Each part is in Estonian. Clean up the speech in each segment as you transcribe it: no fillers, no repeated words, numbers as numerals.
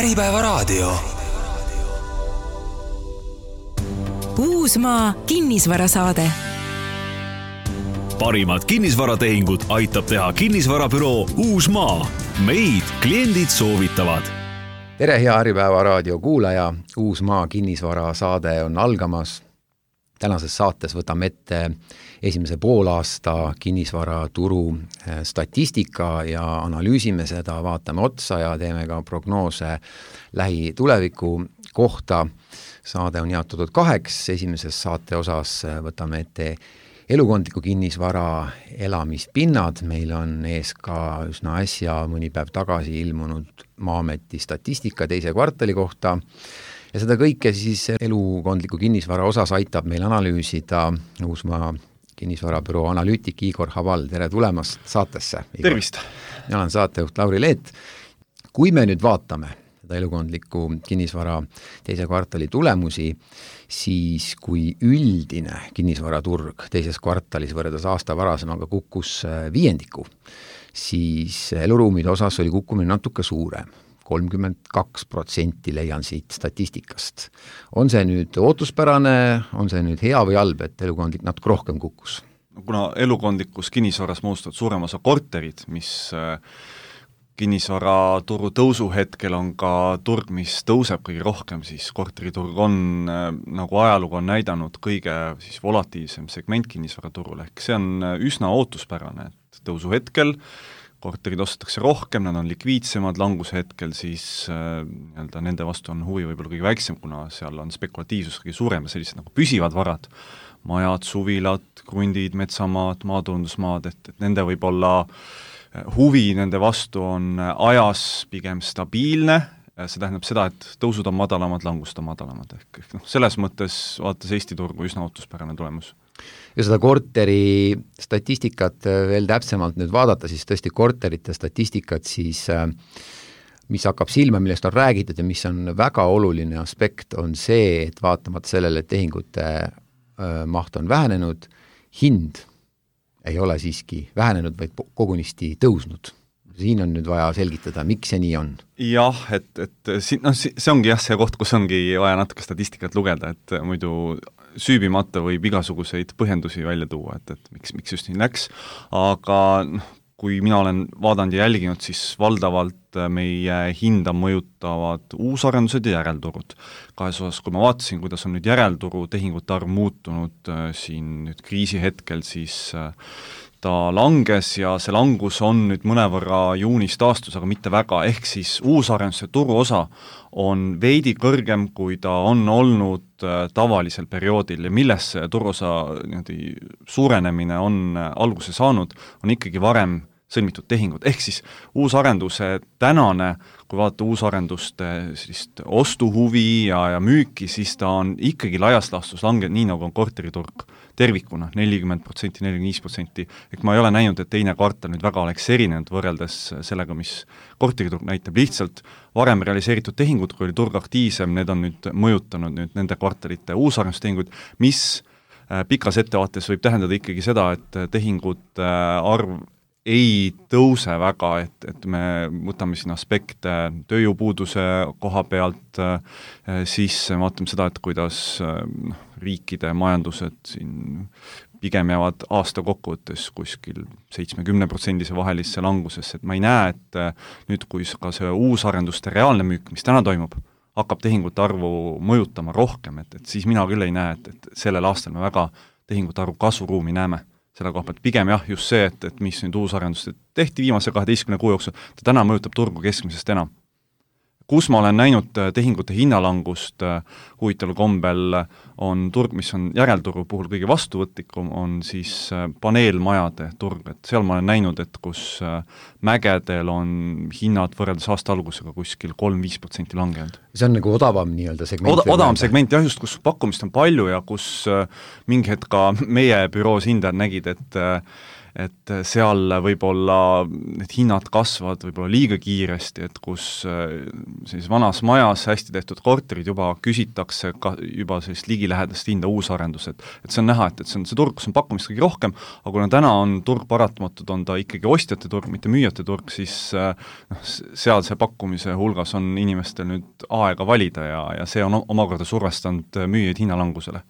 Äripäevaraadio. Uusmaa kinnisvarasaade. Parimad kinnisvaratehingud aitab teha kinnisvarabüroo Uusmaa. Meid kliendid soovitavad. Tere, hea Äripäevaraadio kuulaja. Uusmaa kinnisvarasaade on algamas. Tänases saates võtame ette esimese poolaasta kinnisvaraturu statistika ja analüüsime seda, vaatame otsa ja teeme ka prognoose lähituleviku kohta. Saade on jaotatud 2. Esimeses saate osas võtame ette elukondliku kinnisvara elamispinnad. Meil on ees ka üsna äsja mõni päev tagasi ilmunud Maa-ameti statistika 2. kvartali kohta. Ja seda kõike siis elukondliku kinnisvara osas aitab meil analüüsida Uusmaa kinnisvarabüroo analüütik Igor Haval. Tere tulemast saatesse, Igor. Tervist! Mina olen saatejuht Lauri Leet. Kui me nüüd vaatame seda elukondliku kinnisvara 2. kvartali tulemusi, siis kui üldine kinnisvaraturg 2. kvartalis võrreldes aasta varasemaga kukkus 5%, siis eluruumide osas oli kukkumine natuke suurem. 32% leian siit statistikast. On see nüüd ootuspärane, on see nüüd hea või halb, et elukondlik natuke rohkem kukkus? Kuna elukondlikus kinnisvaras moodustavad suurem osa korterid, mis kinnisvaraturu tõusu hetkel on ka turg, mis tõuseb kõige rohkem, siis korteriturg on, nagu ajalugu on näidanud, kõige siis volatiivsem segment kinnisvaraturul, ehk see on üsna ootuspärane, et tõusu hetkel korterid ostetakse rohkem, nad on likviidsemad, languse hetkel siis nende vastu on huvi võib-olla kõige väiksem, kuna seal on spekulatiivsus kõige suurem ja sellised nagu püsivad varad, majad, suvilad, krundid, metsamaad, maatulundusmaad, et nende võib-olla huvi nende vastu on ajas pigem stabiilne, see tähendab seda, et tõusud on madalamad, langused on madalamad, ehk selles mõttes vaatas Eesti turgu üsna ootuspärane tulemus. Ja seda korteri statistikat veel täpsemalt nüüd vaadata, siis tõesti korterite statistikat, siis mis hakkab silma, millest on räägitud ja mis on väga oluline aspekt, on see, et vaatamata sellele, et tehingute maht on vähenenud, hind ei ole siiski vähenenud, vaid kogunisti tõusnud. Siin on nüüd vaja selgitada, miks see nii on. Jah, see ongi see koht, kus ongi vaja natuke statistikat lugeda, et muidu süübimata võib igasuguseid põhjendusi välja tuua, et miks just nii läks, aga kui mina olen vaadanud ja jälginud, siis valdavalt meie hinda mõjutavad uusarendused ja järelturud. Kahes osas, kui ma vaatasin, kuidas on nüüd järelturu tehingute arv muutunud siin nüüd kriisi hetkel, siis ta langes ja see langus on nüüd mõnevõrra juunis taastus, aga mitte väga, ehk siis uusarenduse turu osa on veidi kõrgem, kui ta on olnud tavalisel perioodil ja milles see turuosa suurenemine on alguse saanud, on ikkagi varem sõlmitud tehingud, ehk siis uusarenduse tänane, kui vaadata uusarenduste sellist ostuhuvi ja müüki, siis ta on ikkagi laias laastus langenud, nii nagu on korteriturg tervikuna, 40%, 45%, ehk ma ei ole näinud, et teine kvartal nüüd väga oleks erinenud võrreldes sellega, mis korteriturg näitab, lihtsalt varem realiseeritud tehingud, kui oli turg aktiivsem, need on nüüd mõjutanud nüüd nende kvartalite uusarendustehingud, mis pikas ettevaates võib tähendada ikkagi seda, et tehingute arv ei tõuse väga, et me võtame siin aspekte tööjõupuuduse koha pealt, siis vaatame seda, et kuidas riikide majandused siin pigem jäävad aasta kokkuvõttes kuskil 70% vahelisse langusesse, et ma ei näe, et nüüd kui ka see uusarenduste reaalne müük, mis täna toimub, hakkab tehingute arvu mõjutama rohkem, et siis mina küll ei näe, et sellel aastal me väga tehingute arvu kasvuruumi näeme. Selle koha pealt pigem jah, just see, et mis nüüd uusarendused tehti viimase 12 kuu jooksul, ta täna mõjutab turgu keskmisest enam. Kus ma olen näinud tehingute hinnalangust huvitaval kombel on turg, mis on järelturu puhul kõige vastuvõtlikum, on siis paneelmajade turg, et seal ma olen näinud, et kus mägedel on hinnad võrreldes aasta algusega kuskil 3-5% langenud. See on nagu odavam nii-öelda segment? Odavam segment, jah, just kus pakkumist on palju ja kus mingi hetk ka meie büroos hindajad nägid, et seal võib-olla need hinnad kasvavad võib-olla liiga kiiresti, et kus siis vanas majas hästi tehtud korterid juba küsitakse ka juba sellist ligilähedast hinda uusarendused. Et see on näha, et see on see turg, kus on pakkumist kõige rohkem, aga kuna täna on turg paratamatult, on ta ikkagi ostjate turg, mitte müüjate turg, siis seal see pakkumise hulgas on inimestel nüüd aega valida ja see on omakorda survestanud müüjaid hinnalangusele.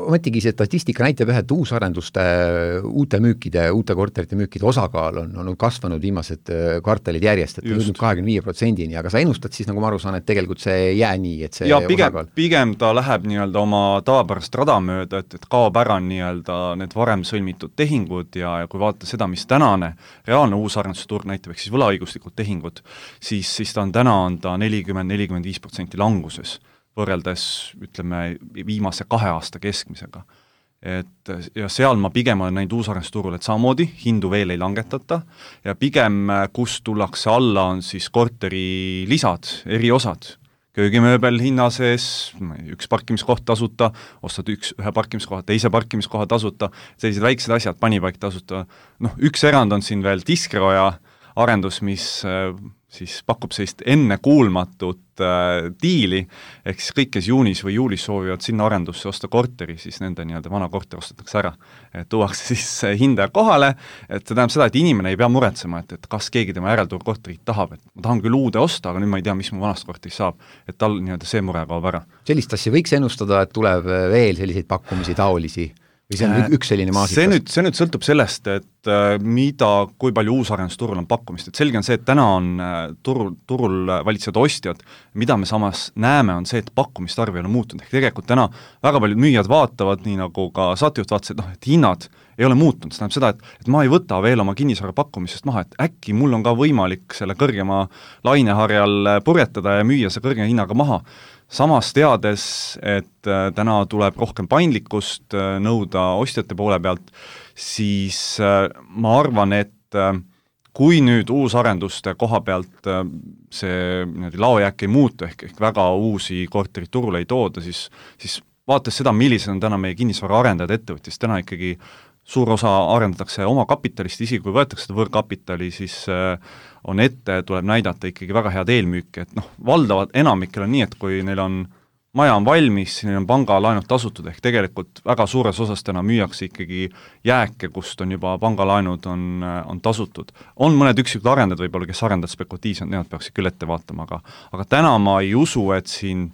Ometigi see statistika näitab ühe, et uusarenduste uute korterite müükide osakaal on kasvanud viimased kvartalid järjest, et jõudnud 25%-ni, aga sa ennustad siis, nagu ma aru saan, et tegelikult see ei jää nii, et see pigem ta läheb nii-öelda oma tavapärast rada mööda, et kaob ära nii-öelda need varem sõlmitud tehingud ja kui vaadata seda, mis tänane reaalne uusarenduse turg näitab, ehk siis võlaõiguslikud tehingud, siis ta on täna 40-45% languses, võrreldes ütleme viimase 2 aasta keskmisega. Ja seal ma pigem olen näinud uusarendusturul, et samamoodi hindu veel ei langetata ja pigem kus tullakse alla on siis korteri lisad, eriosad, köögimööbel hinna sees, üks parkimiskoht tasuta, ostad ühe parkimiskoha, teise parkimiskoha tasuta, sellised väiksed asjad, panipaik tasuta. Üks erand on siin veel Diskroja arendus, mis siis pakub sellist ennekuulmatut diili, ehk siis kõik, kes juunis või juulis soovivad sinna arendusse osta korteri, siis nende nii-öelda vana korter ostetakse ära. Tuuakse siis hinda kohale, et see tähendab seda, et inimene ei pea muretsema, et kas keegi tema järeltuur korterit tahab, et ma tahan küll uude osta, aga nüüd ma ei tea, mis mu vanast korteris saab, et tal nii-öelda see mure kaob ära. Sellist asja võiks ennustada, et tuleb veel selliseid pakkumisi taolisi? Või see on üks selline maasikas? See nüüd sõltub sellest, et kui palju uusarendusturul on pakkumist, et selge on see, et täna on turul valitsevad ostjad, mida me samas näeme, on see, et pakkumist arv ei ole muutunud, ehk tegelikult täna väga paljud müüjad vaatavad, nii nagu ka saatejuht vaatas, et hinnad ei ole muutunud, see tähendab seda, et ma ei võta veel oma kinnisvara pakkumisest maha, et äkki mul on ka võimalik selle kõrgema laineharjal purjetada ja müüa see kõrge hinnaga maha. Samas teades, et täna tuleb rohkem paindlikkust nõuda ostjate poole pealt, siis ma arvan, et kui nüüd uusarenduste koha pealt see laojääk ei muutu, ehk väga uusi korterid turule ei tooda, siis vaadates seda, millised on täna meie kinnisvara arendajad ettevõttis, täna ikkagi suur osa arendatakse oma kapitalist, isegi kui võetakse seda võrkapitali, siis tuleb näidata ikkagi väga head eelmüüki, et valdavad enamikel on nii, et kui neil on maja on valmis, neil on pangalaenud tasutud, ehk tegelikult väga suures osas täna müüakse ikkagi jääke, kust on juba pangalaenud on tasutud. On mõned üksikud arendajad võib-olla, kes arendavad spekulatiivselt, nemad peaksid küll ette vaatama, aga täna ma ei usu, et siin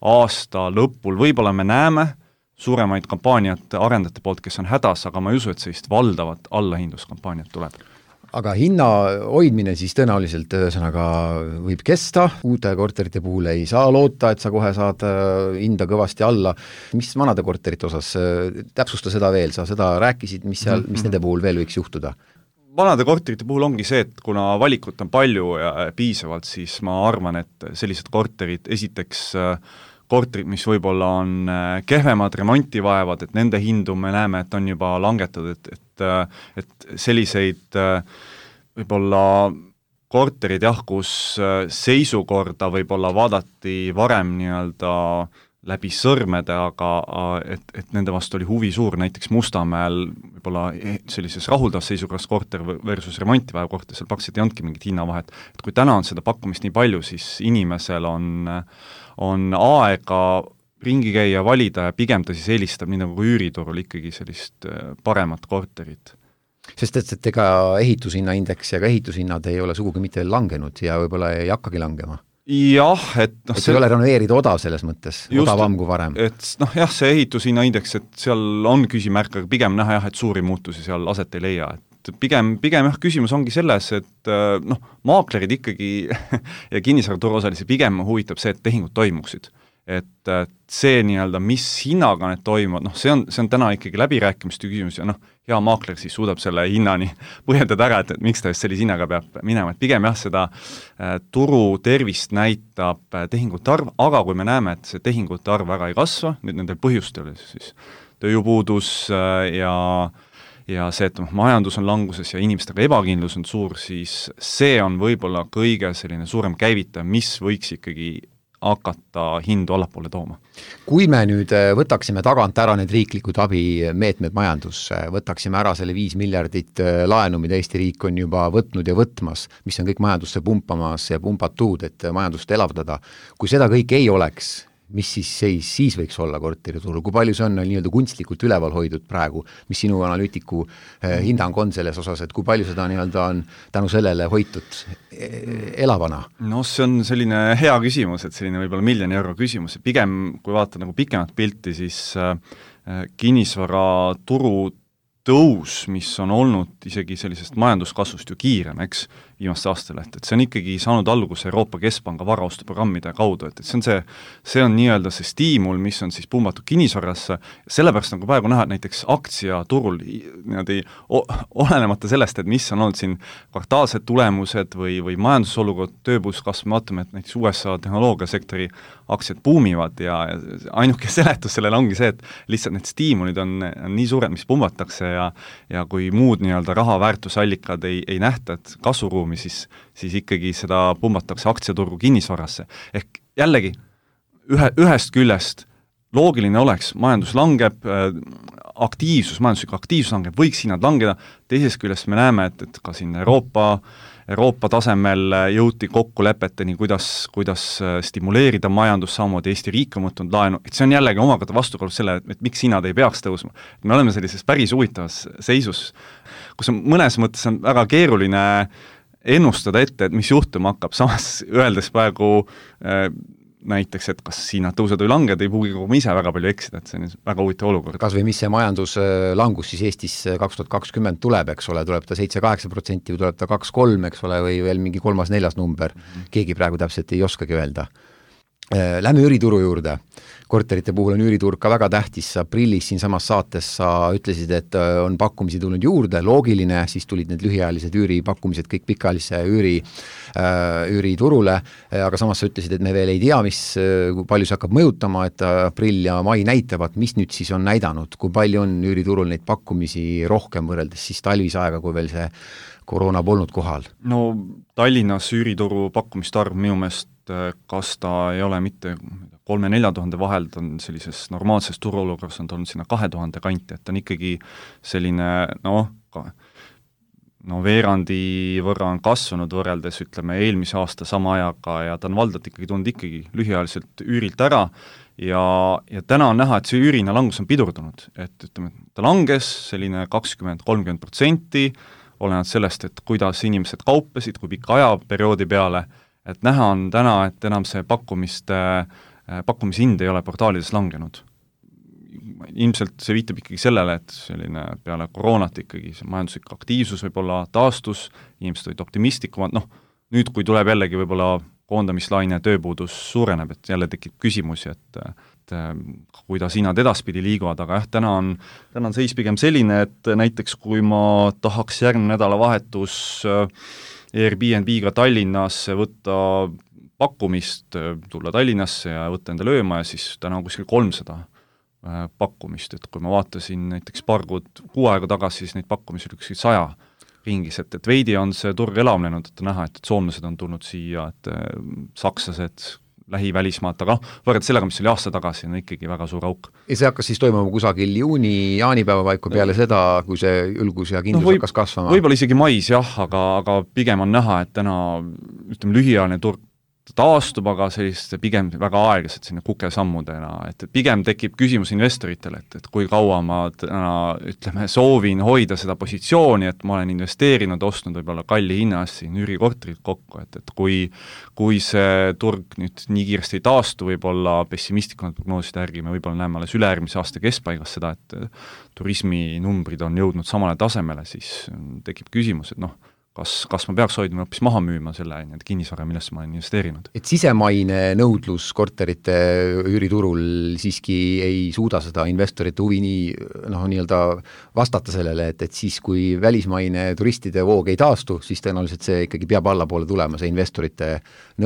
aasta lõpul võib-olla me näeme suuremaid kampaaniat arendajate poolt, kes on hädas, aga ma ei usu, et sellist valdavat allahindluskampaaniat tuleb. Aga hinna hoidmine siis tõenäoliselt ühesõnaga võib kesta, uute korterite puhul ei saa loota, et sa kohe saad hinda kõvasti alla. Mis vanade korterite osas, täpsusta seda veel, sa seda rääkisid, mis nende puhul veel võiks juhtuda? Vanade korterite puhul ongi see, et kuna valikut on palju ja piisavalt, siis ma arvan, et sellised korterid esiteks korterid, mis võib-olla on kehvemad, remonti vaevad, et nende hindu me näeme, et on juba langetatud, et selliseid võib-olla korterid kus seisukorda võib-olla vaadati varem nii-öelda läbi sõrmede, aga et nende vastu oli huvi suur, näiteks Mustamäel võib-olla sellises rahuldavas seisukorras korter versus remontivaja korter, seal praktiliselt ei andki mingit hinnavahet. Et kui täna on seda pakkumist nii palju, siis inimesel on aega ringi käia, valida ja pigem ta siis eelistab nii nagu üüriturul ikkagi sellist paremat korterit. Sest et ega ehitushinnaindeks ja ka ehitushinnad ei ole sugugi mitte veel langenud ja võib-olla ei hakkagi langema. Jah, et ei ole renoveerida odav selles mõttes, odavam kui varem. Et see ehitushinnaindeks, et seal on küsimärk, aga pigem näha et suuri muutusi seal aset ei leia, et pigem küsimus ongi selles, et maaklerid ikkagi ja kinnisvaraturu osalisi pigem huvitab see, et tehingud toimuksid. Et see nii-öelda, mis hinnaga need toimuvad, see on täna ikkagi läbirääkimiste küsimus ja hea maakler siis suudab selle hinnani põhjendada ära, et miks ta just sellise hinnaga peab minema, et pigem seda turu tervist näitab tehingute arv, aga kui me näeme, et see tehingute arv väga ei kasva, nüüd nendel põhjustel siis tööjõupuudus ja see, et majandus on languses ja inimestega ebakindlus on suur, siis see on võib-olla kõige selline suurem käivitaja, mis võiks ikkagi hakata hindu allapoole tooma. Kui me nüüd võtaksime tagant ära need riiklikud abimeetmed majandusse, võtaksime ära selle 5 miljardit laenu, mida Eesti riik on juba võtnud ja võtmas, mis on kõik majandusse pumpamas ja pumpatud, et majandust elavdada, kui seda kõik ei oleks, mis siis võiks olla korteriturul, kui palju see on nii-öelda kunstlikult üleval hoidud praegu, mis sinu analüütiku hinnang on selles osas, et kui palju seda nii-öelda on tänu sellele hoitud elavana? No see on selline hea küsimus, et selline võib-olla miljoni euro küsimus, pigem kui vaata nagu pikemat pilti, siis kinnisvaraturu tõus, mis on olnud isegi sellisest majanduskasvust ju kiirem, eks, viimaste aastal, et see on ikkagi saanud alguse Euroopa Keskpanga varaostuprogrammide kaudu, et see on nii-öelda see stiimul, mis on siis pumbatud kinnisvarasse, sellepärast nagu praegu näha, et näiteks aktsiaturul niimoodi olenemata sellest, et mis on olnud siin kvartaalsed tulemused või majandusolukord, tööpuuskasv, me vaatame, et näiteks USA tehnoloogiasektori aktsiad buumivad ja ainuke seletus sellele ongi see, et lihtsalt need stiimulid on nii suured, mis pumbatakse ja kui muud nii-öelda raha väärtusallikad ei nähta, et kasvuruumi, siis ikkagi seda pumbatakse aktsiaturgu kinnisvarasse. Ehk jällegi, ühest küljest loogiline oleks, majandus langeb, majanduslik aktiivsus langeb, võiks hinnad langeda, teisest küljest me näeme, et ka siin Euroopa tasemel jõuti kokkulepeteni, kuidas stimuleerida majandus, samamoodi Eesti riik on võtnud laenu, et see on jällegi omakorda vastukaalus selle, et miks hinnad ei peaks tõusma. Me oleme sellises päris huvitavas seisus, kus on mõnes mõttes on väga keeruline ennustada ette, et mis juhtuma hakkab, samas öeldes praegu näiteks, et kas hinnad tõused või langed, ei pruugi kogu ise väga palju eksida, et see on väga huvitav olukord. Kas või mis see majanduslangus siis Eestis 2020 tuleb, eks ole, tuleb ta 7-8% või tuleb ta 2-3, eks ole, või veel mingi 3-4 number, keegi praegu täpselt ei oskagi öelda. Lähme üürituru juurde. Korterite puhul on üüriturg ka väga tähtis. Aprillis siin samas saates sa ütlesid, et on pakkumisi tulnud juurde, loogiline, siis tulid need lühiajalised üüripakkumised kõik pikaajalise üüriturule, aga samas sa ütlesid, et me veel ei tea, kui palju see hakkab mõjutama, et aprill ja mai näitavad, mis nüüd siis on näidanud, kui palju on üüriturul neid pakkumisi rohkem võrreldes siis talvise aega, kui veel see koroona polnud kohal? No Tallinnas üürituru pakkumist arv minu meelest kas ta ei ole mitte 3-4 tuhande vahel, ta on sellises normaalses turuolukorras on tulnud sinna 2000 kanti, et ta on ikkagi selline veerandi võrra on kasvanud võrreldes, ütleme, eelmise aasta sama ajaga ja ta on valdalt ikkagi tulnud ikkagi lühiajaliselt üürilt ära ja täna on näha, et see üürina langus on pidurdunud, et ütleme, ta langes selline 20-30%, olenevalt sellest, et kuidas inimesed kaupesid, kui pika ajaperioodi peale, et näha on täna, et enam see pakkumishind ei ole portaalides langenud. Ilmselt see viitab ikkagi sellele, et selline peale koroonat ikkagi see majanduslik aktiivsus võib-olla taastus, inimesed olid optimistlikumad, nüüd kui tuleb jällegi võib-olla koondamislaine tööpuudus suureneb, et jälle tekib küsimusi, et kuidas hinnad edaspidi liiguvad, aga jah, täna on seis pigem selline, et näiteks kui ma tahaks järgmine nädalavahetus Airbnb-ga Tallinnasse võtta pakkumist, tulla Tallinnasse ja võtta enda lööma ja siis täna on kuskil 300 pakkumist, et kui ma vaatasin näiteks paar kuu aega tagasi, siis neid pakkumisi oli kuskil 100 ringis, et veidi on see turg elavnenud, et näha, et soomlased on tulnud siia, et sakslased, lähivälismaad, aga võrreldes sellega, mis oli aasta tagasi, on ikkagi väga suur auk. Ja see hakkas siis toimuma kusagil jaanipäeva paiku peale seda, kui see ülgus ja kindlus hakkas kasvama? Võib-olla isegi mais jah, aga pigem on näha, et täna ütleme, lühiajaline turg taastub, aga sellist pigem väga aeglaselt sinna kukesammudena, et pigem tekib küsimus investoritele, et kui kaua ma ütleme, soovin hoida seda positsiooni, et ma olen investeerinud, ostnud võib-olla kalli hinnas siin üürikorterit kokku, et kui see turg nüüd nii kiiresti ei taastu, võib-olla pessimistlikumad prognooside järgi, me võib-olla näeme alles ülejärgmise aasta keskpaigas seda, et turisminumbrid on jõudnud samale tasemele, siis tekib küsimus, et kas ma peaks hoidma hoopis maha müüma selle kinnisvara, millesse ma olen investeerinud. Et sisemaine nõudlus korterite üüriturul siiski ei suuda seda investorite huvi nii-öelda vastata sellele, et siis kui välismaine turistide voog ei taastu, siis tõenäoliselt see ikkagi peab allapoole tulema, see investorite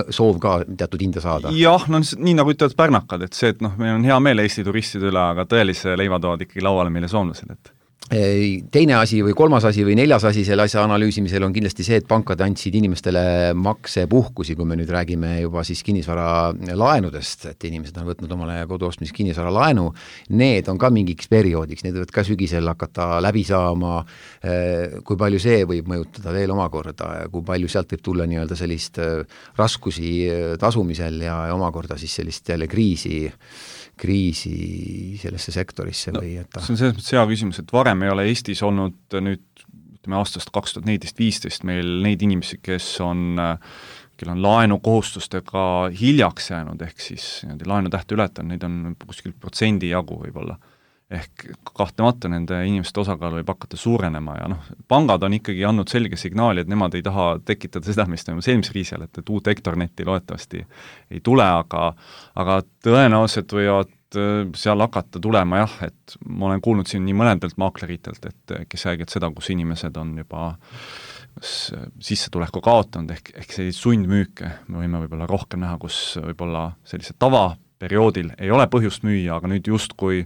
soov ka teatud hinda saada. Jah, nii nagu ütlevad pärnakad, et see, et meil on hea meel Eesti turistide üle, aga tõelise leiva toovad ikkagi lauale meile soomlased, et Teine asi või kolmas asi või neljas asi selle asja analüüsimisel on kindlasti see, et pankad andsid inimestele maksepuhkusi, kui me nüüd räägime juba siis kinnisvara laenudest, et inimesed on võtnud omale kodu ostmiseks kinnisvara laenu, need on ka mingiks perioodiks, need võivad ka sügisel hakata läbi saama, kui palju see võib mõjutada veel omakorda ja kui palju sealt võib tulla nii-öelda sellist raskusi tasumisel ja omakorda siis sellist jälle kriisi sellesse sektorisse või et see on selles mõttes hea küsimus, et varem ei ole Eestis olnud nüüd, ütleme aastast 2014-2015 meil neid inimesi, kellel on laenukohustustega hiljaks jäänud, ehk siis laenutähte ületanud, neid on kuskil protsendi jagu võib-olla. Ehk kahtlemata nende inimeste osakaal võib hakata suurenema ja pangad on ikkagi andnud selge signaali, et nemad ei taha tekitada seda, mis toimus eelmise kriisi ajal, et uut Hektornetti loodetavasti ei tule, aga tõenäoliselt võivad seal hakata tulema jah, et ma olen kuulnud siin nii mõnedelt maakleritelt, et kes räägivad seda, kus inimesed on juba sissetuleku kaotanud, ehk selliseid sundmüüke me võime võib-olla rohkem näha, kus võib-olla sellise tavaperioodil ei ole põhjust müüa, aga nüüd justkui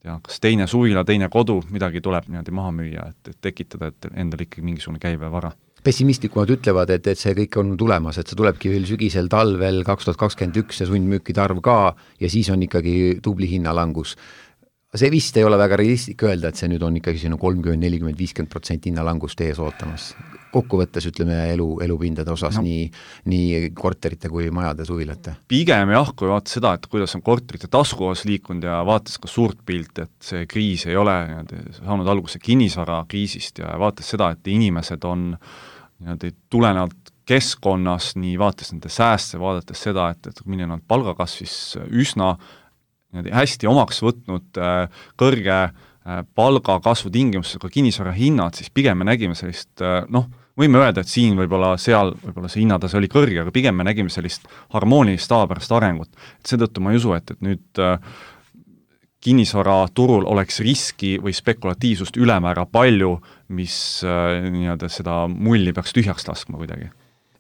kas teine suvila, teine kodu, midagi tuleb niimoodi maha müüa, et tekitada, et endal ikkagi mingisugune käibevara. Pessimistlikumad ütlevad, et see kõik on tulemas, et see tulebki veel sügisel, talvel 2021 ja sundmüükide arv ka ja siis on ikkagi tubli hinnalangus. See vist ei ole väga realistlik öelda, et see nüüd on ikkagi 30, 40, 50% hinnalangust ees ootamas. Kokkuvõttes ütleme elupindade osas nii korterite kui majade suvilate. Pigem jah, kui vaata seda, et kuidas on korterite taskuos liikunud ja vaatas ka suurt pilt, et see kriis ei ole saanud alguse kinnisvara kriisist ja vaatas seda, et inimesed on tulenevalt keskkonnas, nii vaatas nende sääste, vaadates seda, et milline on palgakasvis üsna hästi omaks võtnud kõrge palgakasvu tingimusega kinnisvara hinnad, siis pigem me nägime sellist, võime öelda, et siin võib-olla see hinnatase oli kõrge, aga pigem me nägime sellist harmoonilist tavapärast arengut. Et seetõttu ma ei usu, et nüüd kinnisvara turul oleks riski või spekulatiivsust ülemäära palju, mis seda mulli peaks tühjaks laskma kuidagi.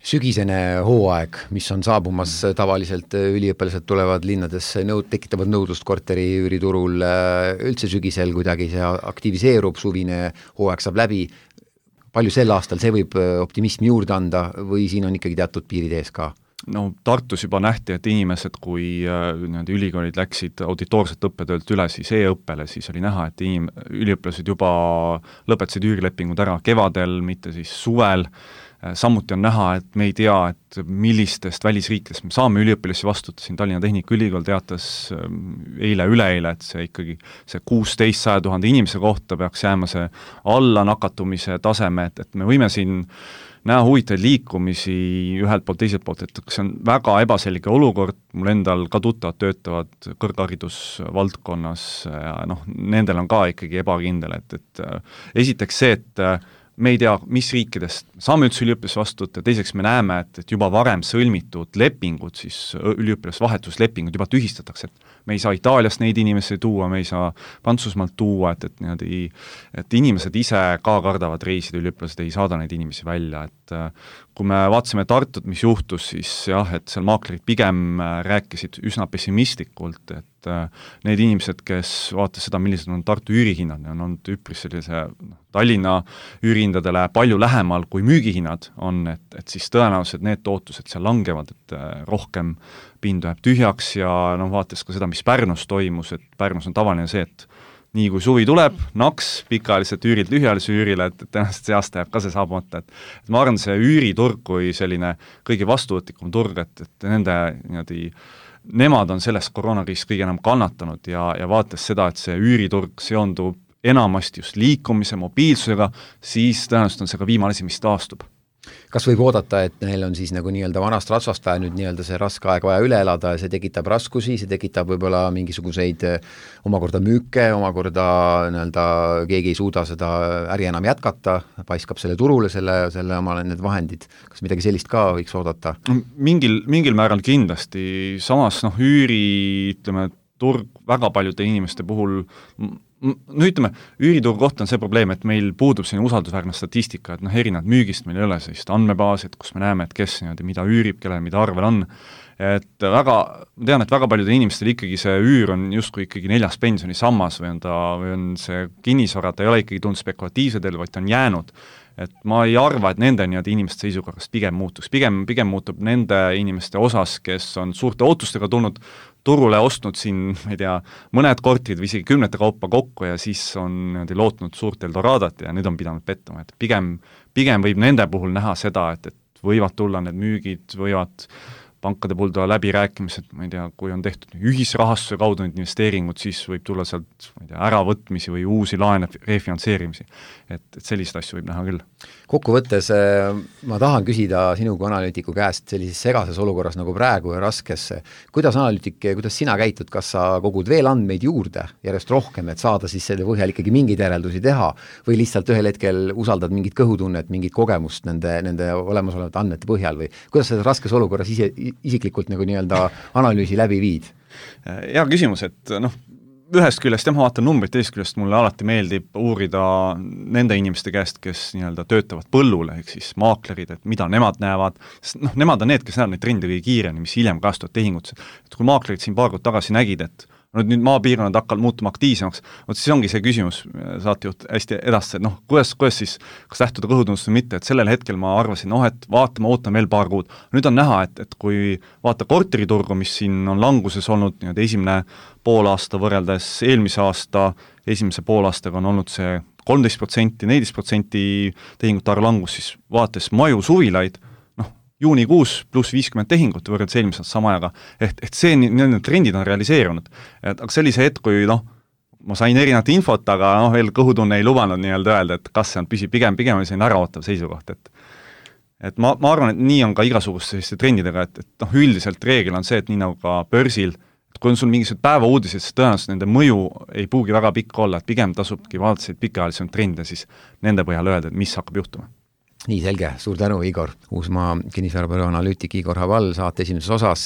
Sügisene hooaeg, mis on saabumas tavaliselt üliõpilased tulevad linnadesse, tekitavad nõudlust korteri üüriturul, üldse sügisel kuidagi see aktiviseerub, suvine hooaeg saab läbi. Palju sel aastal see võib optimismi juurde anda või siin on ikkagi teatud piirid ees ka? Tartus juba nähti, et inimesed, kui ülikoolid läksid auditoorset õppetöölt üle siis e-õppele, siis oli näha, et üliõpilased juba lõpetasid üürilepingud ära kevadel, mitte siis suvel. Samuti on näha, et me ei tea, et millistest välisriikidest me saame üliõpilasi vastuta, siin Tallinna Tehnikaülikool teatas üleeile, et see ikkagi see 16 000 inimese kohta peaks jääma see alla nakatumise taseme, et me võime siin näha huvitaid liikumisi ühelt poolt, teiselt poolt, et see on väga ebaselge olukord, mul endal ka tuttavad töötavad kõrgharidusvaldkonnas ja nendel on ka ikkagi ebakindel, et esiteks see, et me ei tea, mis riikidest saame üldse üliõpilase vastuta, teiseks me näeme, et juba varem sõlmitud lepingud, siis üliõpilasvahetuslepingud juba tühistatakse, et me ei saa Itaaliast neid inimesi tuua, me ei saa Prantsusmaalt tuua, et inimesed ise ka kardavad reisida, üliõpilased ei saada neid inimesi välja, et kui me vaatasime Tartut, mis juhtus, siis jah, et seal maaklerid pigem rääkisid üsna pessimistlikult, et need inimesed, kes vaatas seda, millised on Tartu üürihinnad, on olnud üpris sellise Tallinna üürihindadele palju lähemal kui müügihinnad on, et siis tõenäoliselt need tootused seal langevad, et rohkem pindu jääb tühjaks ja vaatas ka seda, mis Pärnus toimus, et Pärnus on tavaline see, et nii kui suvi tuleb, naks pikaajaliselt üürilt lühiajalise üürile, et tõenäoliselt see aasta jääb ka see saabumata, et ma arvan, see üüriturg kui selline kõige vastuvõtlikum turg, et nemad on sellest koroonakriisist kõige enam kannatanud ja vaates seda, et see üüriturg seondub enamasti just liikumise, mobiilsusega, siis tõenäoliselt on see ka viimane asi, mis taastub. Kas võib oodata, et neil on siis nagu nii-öelda vanast rasvast vaja nüüd nii-öelda see raske aeg vaja üle elada ja see tekitab raskusi, see tekitab võib-olla mingisuguseid omakorda müüke, omakorda nii-öelda keegi ei suuda seda äri enam jätkata, paiskab selle turule, selle omale need vahendid. Kas midagi sellist ka võiks oodata? Mingil määral kindlasti, samas üüri, ütleme, turg väga paljude inimeste puhul no ütleme, üürituru kohta on see probleem, et meil puudub selline usaldusväärne statistika, et erinevad müügist meil ei ole sellist andmebaasi, et kus me näeme, et kes mida üürib, kellel mida arvel on, et ma tean, et väga paljudel inimestel ikkagi see üür on justkui ikkagi 4. pensionisammas või on see kinnisvara, ta ei ole ikkagi tulnud spekulatiivse teel, vaid ta on jäänud. Et ma ei arva, et nende inimeste seisukorrast pigem muutuks. Pigem muutub nende inimeste osas, kes on suurte ootustega tulnud turule, ostnud siin, ma ei tea, mõned korterid või isegi 10 kaupa kokku ja siis on lootnud suurt Eldoradat ja nüüd on pidanud pettuma. Et pigem võib nende puhul näha seda, et võivad tulla need müügid, võivad pankade puhul tulla läbirääkimised, ma ei tea, kui on tehtud ühisrahastuse kaudu need investeeringud, siis võib tulla sealt äravõtmisi või uusi laene refinantseerimisi. Et selliseid asju võib näha küll. Kokkuvõttes ma tahan küsida sinu kui analüütiku käest sellises segases olukorras nagu praegu ja raskes, kuidas sina käitud, kas sa kogud veel andmeid juurde järjest rohkem, et saada siis selle põhjal ikkagi mingeid järeldusi teha või lihtsalt ühel hetkel usaldad mingit kõhutunnet, mingit kogemust nende olemasolevate andmete põhjal või kuidas sa raskes olukorras isiklikult nagu nii-öelda analüüsi läbi viid? Hea küsimus, et ühest küljest ma vaatan numbrit, teisest küljest mulle alati meeldib uurida nende inimeste käest, kes töötavad põllule, ehk siis maaklerid, et mida nemad näevad, sest nemad on need, kes näevad neid trende kõige kiiremini, mis hiljem kastuvad tehingut. Et kui maaklerid siin paar kuud tagasi nägid, et nüüd maapiirkonnad hakkavad muutuma aktiivsemaks, siis ongi see küsimus, saatejuht hästi edastas, et kuidas siis, kas lähtuda kõhutunnust või mitte, et sellel hetkel ma arvasin, et ootame veel paar kuud. Nüüd on näha, et kui vaata korteriturgu, mis siin on languses olnud, esimene poolaasta võrreldes eelmise aasta esimese poolaastaga on olnud see 13%, 14% tehingute arv langus, siis vaates maju suvilaid, juunikuus pluss 50 tehingut võrreldes eelmisest sama ajaga, et see need trendid on realiseerunud. Aga sellise hetk, kui ma sain erinevat infot, aga veel kõhutunne ei lubanud öelda, et kas see on pigem oli selline äraootav seisukoht, et ma arvan, et nii on ka igasuguste selliste trendidega, et üldiselt reegel on see, et nii nagu ka börsil, et kui on sul mingisugused päevauudised, siis tõenäoliselt nende mõju ei pruugi väga pikk olla, et pigem tasubki vaadata pikaajalisi trende, siis nende põhjal öelda, et mis hakkab juhtuma. Nii selge, suur tänu, Igor. Uusmaa kinnisvarabüroo analüütik Igor Haval saate esimeses osas,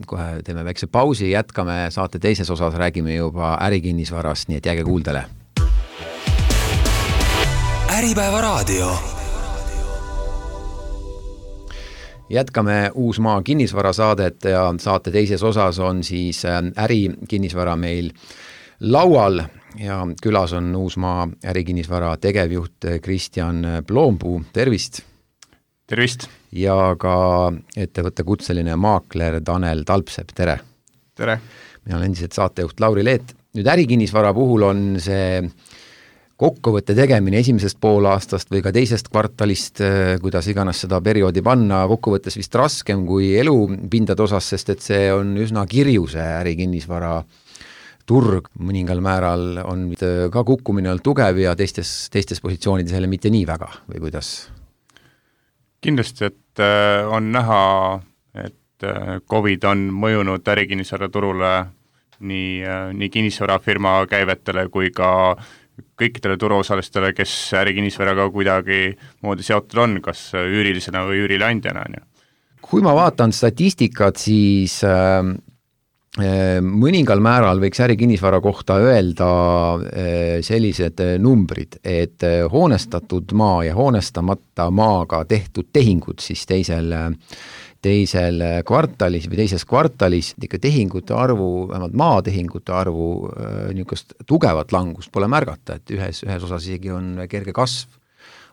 kohe teeme väikse pausi, jätkame saate teises osas, räägime juba ärikinnisvarast, nii et jääge kuuldele. Äripäeva raadio. Jätkame Uusmaa kinnisvarasaadet ja saate teises osas on siis ärikinnisvara meil laual ja külas on Uusmaa ärikinnisvara tegevjuht Kristjan Ploompuu, tervist! Tervist! Ja ka ettevõtte kutseline maakler Tanel Talpsepp, tere! Tere! Mina olen endiselt saatejuht Lauri Leet. Nüüd ärikinnisvara puhul on see kokkuvõtte tegemine esimesest poolaastast või ka teisest kvartalist, kuidas iganes seda perioodi panna, kokkuvõttes vist raskem kui elupindade osas, sest et see on üsna kirju see ärikinnisvara turg mõningal määral on ka kukkumine olnud tugev ja teistes positsioonides jälle mitte nii väga või kuidas? Kindlasti, et on näha, et COVID on mõjunud ärikinnisvara turule nii kinnisvarafirma käivetele kui ka kõikidele turuosalistele, kes ärikinnisvaraga kuidagi moodi seotud on, kas üürilisena või üürileandjana. Kui ma vaatan statistikat, siis mõningal määral võiks ärikinnisvara kohta öelda sellised numbrid, et hoonestatud maa ja hoonestamata maaga tehtud tehingud siis teisel kvartalis või teises kvartalis ikka tehingute arvu, vähemalt maatehingute arvu niisugust tugevat langust pole märgata, et ühes osas isegi on kerge kasv.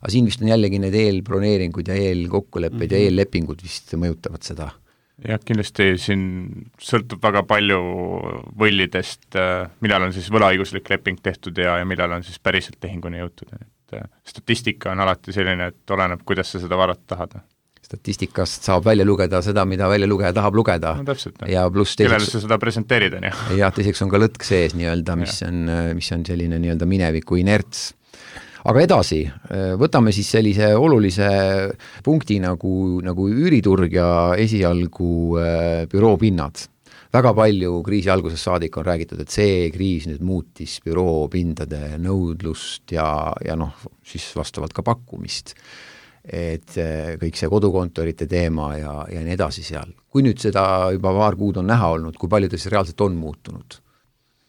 Aga siin vist on jällegi need eelbroneeringud ja eelkokkulepped ja eellepingud vist mõjutavad seda. Jah, kindlasti siin sõltub väga palju võllidest, millal on siis võlaõiguslik leping tehtud ja millal on siis päriselt tehinguni jõutud. Et statistika on alati selline, et oleneb, kuidas sa seda vaadata tahad. Statistikast saab välja lugeda seda, mida välja lugeja tahab lugeda. No täpselt. Ja pluss kellele sa seda presenteerid on. Ja teiseks on ka lõtk sees nii-öelda, mis on selline nii-öelda mineviku inerts. Aga edasi, võtame siis sellise olulise punkti nagu üüriturg ja esialgu büroopinnad. Väga palju kriisi alguses saadik on räägitud, et see kriis nüüd muutis büroopindade nõudlust ja siis vastavalt ka pakkumist. Et kõik see kodukontorite teema ja nii edasi seal. Kui nüüd seda juba paar kuud on näha olnud, kui palju ta siis reaalselt on muutunud?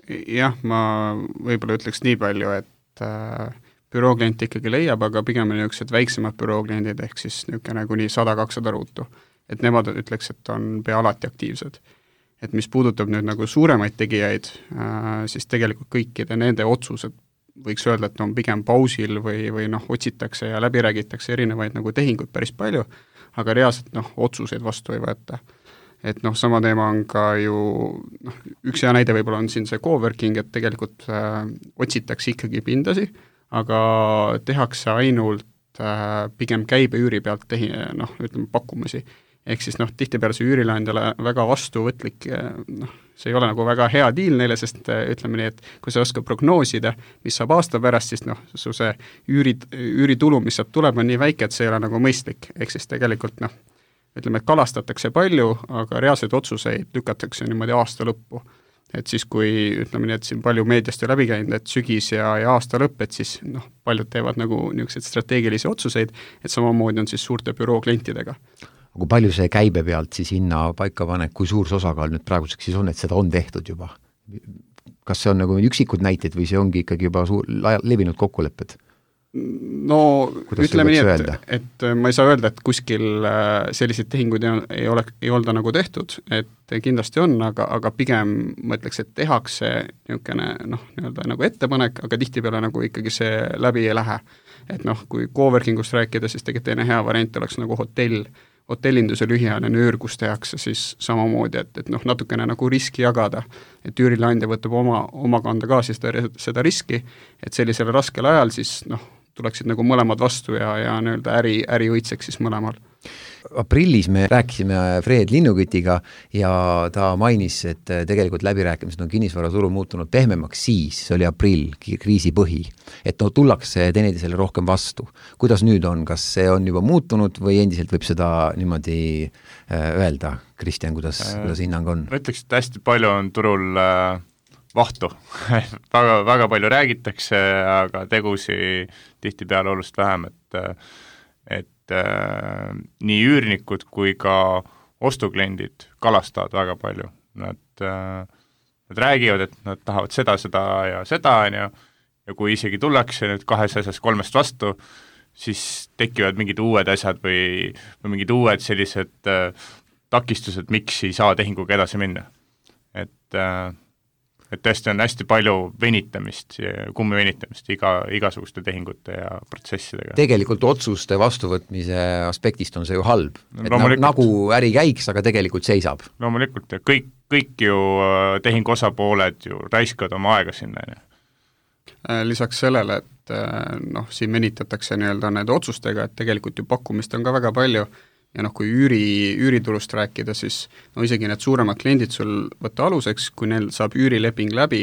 jah, ma võib-olla ütleks nii palju, et bürooklient ikkagi leiab, aga pigem on niisugused väiksemad bürookliendid, ehk siis niisugune kuni 100-200 ruutu. Et nemad ütleks, et on pea alati aktiivsed. Et mis puudutab nüüd nagu suuremaid tegijaid, siis tegelikult kõikide nende otsused võiks öelda, et on pigem pausil või noh, otsitakse ja läbi räägitakse erinevaid nagu tehinguid päris palju, aga reaalselt noh, otsuseid vastu ei võeta. Et noh, sama teema on ka ju, noh, üks hea näide võib-olla on siin see coworking, et tegelikult otsitakse ikkagi pindasi, aga tehakse ainult pigem käibeüüri pealt noh, ütleme pakkumisi. Ehk siis noh, tihtipeale see üürileandjale väga vastuvõtlik, noh, see ei ole nagu väga hea diil neile, sest ütleme nii, et kui sa oskad prognoosida, mis saab aasta pärast, siis noh, su see üüritulu, mis saab tuleb, on nii väike, et see ei ole nagu mõistlik. Ehk siis tegelikult noh, ütleme, et kalastatakse palju, aga reaalseid otsuseid lükatakse niimoodi aasta lõppu. Et siis, kui ütleme nii, et siin palju meediast ju läbi käinud, et sügis ja aasta lõpp, et siis noh, paljud teevad nagu niisuguseid strateegilisi otsuseid, et samamoodi on siis suurte büroo klientidega. Kui palju see käibe pealt siis hinna paika panek, kui suur see osakaal nüüd praeguseks siis on, et seda on tehtud juba? Kas see on nagu üksikud näited või see ongi ikkagi juba levinud kokkulepped? No kuidas ütleme nii, et ma ei saa öelda, et kuskil selliseid tehinguid ei olda nagu tehtud, et kindlasti on, aga pigem ma ütleks, et tehakse niisugune noh, nii-öelda nagu ettepanek, aga tihtipeale nagu ikkagi see läbi ei lähe. Et noh, kui coworkingust rääkida, siis tegelikult teine hea variant oleks nagu hotellinduse lühiajaline öör, kus tehakse siis samamoodi, et noh, natukene nagu riski jagada, et üürileandja võtab oma kanda ka siis seda riski, et sellisel raskel ajal siis noh, tuleksid nagu mõlemad vastu ja nii-öelda äri õitseks siis mõlemal. Aprillis me rääkisime Fred Linnukütiga ja ta mainis, et tegelikult läbirääkimised on kinnisvaraturu muutunud pehmemaks siis, see oli aprill, kriisi põhi, et no tullakse teineteisele rohkem vastu. Kuidas nüüd on, kas see on juba muutunud või endiselt võib seda niimoodi öelda? Kristjan, kuidas hinnang on? Ma ütleks, et hästi palju on turul vahtu. väga, väga palju räägitakse, aga tegusi tihtipeale oluliselt vähem, et nii üürnikud kui ka ostukliendid kalastavad väga palju. Nad räägivad, et nad tahavad seda ja seda, ja kui isegi tullakse nüüd 2 asjast 3 vastu, siis tekivad mingid uued asjad või mingid uued sellised takistused, miks ei saa tehinguga edasi minna. Et tõesti on hästi palju kummivenitamist igasuguste tehingute ja protsessidega. Tegelikult otsuste vastuvõtmise aspektist on see ju halb. Et nagu äri käiks, aga tegelikult seisab. Loomulikult, ja kõik ju tehingu osapooled ju raiskavad oma aega sinna. Lisaks sellele, et noh, siin venitatakse nii-öelda nende otsustega, et tegelikult ju pakkumist on ka väga palju, ja noh, kui üüritulust rääkida, siis no isegi need suuremad kliendid sul võtta aluseks, kui neil saab üürileping läbi,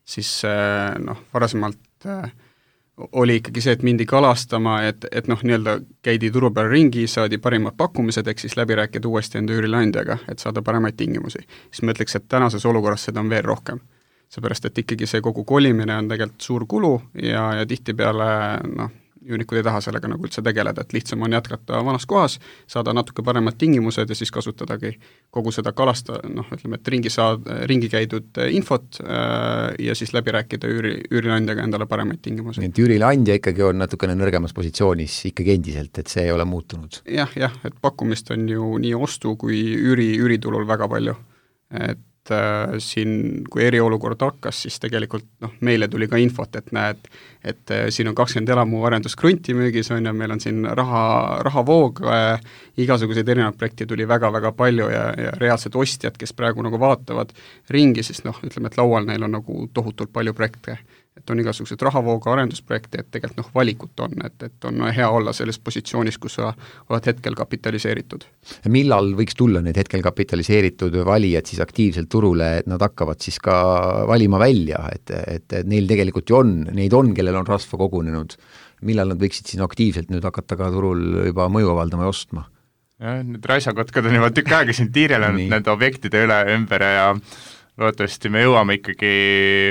siis noh, varasemalt oli ikkagi see, et mindi kalastama, et noh, nii-öelda käidi turu peal ringi, saadi parimad pakkumised, ehk siis läbi rääkida uuesti enda üürileandjaga, et saada paremaid tingimusi. Siis ma ütleks, et tänases olukorras seda on veel rohkem. Seepärast, et ikkagi see kogu kolimine on tegelikult suur kulu ja tihtipeale noh, üürnikud ei taha sellega nagu üldse tegeleda, et lihtsam on jätkata vanas kohas, saada natuke paremad tingimused ja siis kasutadagi kogu seda noh, ütleme, et ringi käidud infot ja siis läbi rääkida üürileandjaga endale paremaid tingimusi. Et üürileandja ikkagi on natukene nõrgemas positsioonis ikkagi endiselt, et see ei ole muutunud. Jah, et pakkumist on ju nii ostu kui üüritulul väga palju, et siin, kui eriolukord hakkas, siis tegelikult noh, meile tuli ka infot, et näed, et siin on 20 elamu arenduskrunti müügis, on ja meil on siin rahavoog, igasuguseid erinevaid projekte tuli väga-väga palju ja reaalsed ostjad, kes praegu nagu vaatavad ringi, siis noh, ütleme, et laual neil on nagu tohutult palju projekte. Et on igasugused rahavooga arendusprojekte, et tegelikult noh, valikut on, et on hea olla selles positsioonis, kus sa oled hetkel kapitaliseeritud. Millal võiks tulla need hetkel kapitaliseeritud valijad siis aktiivselt turule, et nad hakkavad siis ka valima välja, et neil tegelikult ju on, neid on, kellel on rasva kogunenud. Millal nad võiksid siis aktiivselt nüüd hakata ka turul juba mõju avaldama ja ostma? Ja, need raisakotkad on juba tükk aega siin tiirelenud nende objektide ümber ja loodetavasti me jõuame ikkagi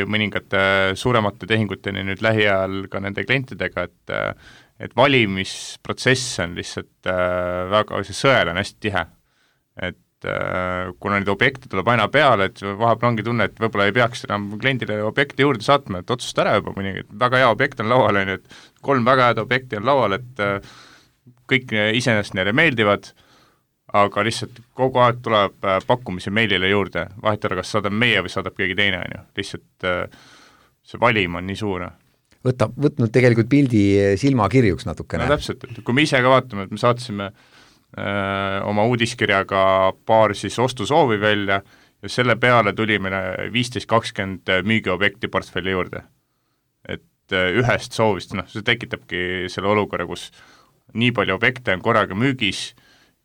mõningate suuremate tehinguteni nüüd lähiajal ka nende klientidega, et valimisprotsess on lihtsalt väga, see sõel on hästi tihe. Et kuna neid objekte tuleb aina peale, et vahepeal ongi tunne, et võib-olla ei peaks enam kliendile objekti juurde saatma, et otsusta ära juba mõni, et väga hea objekt on laual, on ju, et 3 väga head objekti on laual, et kõik iseenesest neile meeldivad, aga lihtsalt kogu aeg tuleb pakkumisi meilile juurde, vahet ei ole, kas saadab meie või saadab keegi teine, on ju, lihtsalt see valim on nii suur. Võtnud tegelikult pildi silmakirjuks natukene. No täpselt, et kui me ise ka vaatame, et me saatsime oma uudiskirjaga paar siis ostusoovi välja ja selle peale tuli meile 15-20 müügiobjekti portfelli juurde. Et ühest soovist, see tekitabki selle olukorra, kus nii palju objekte on korraga müügis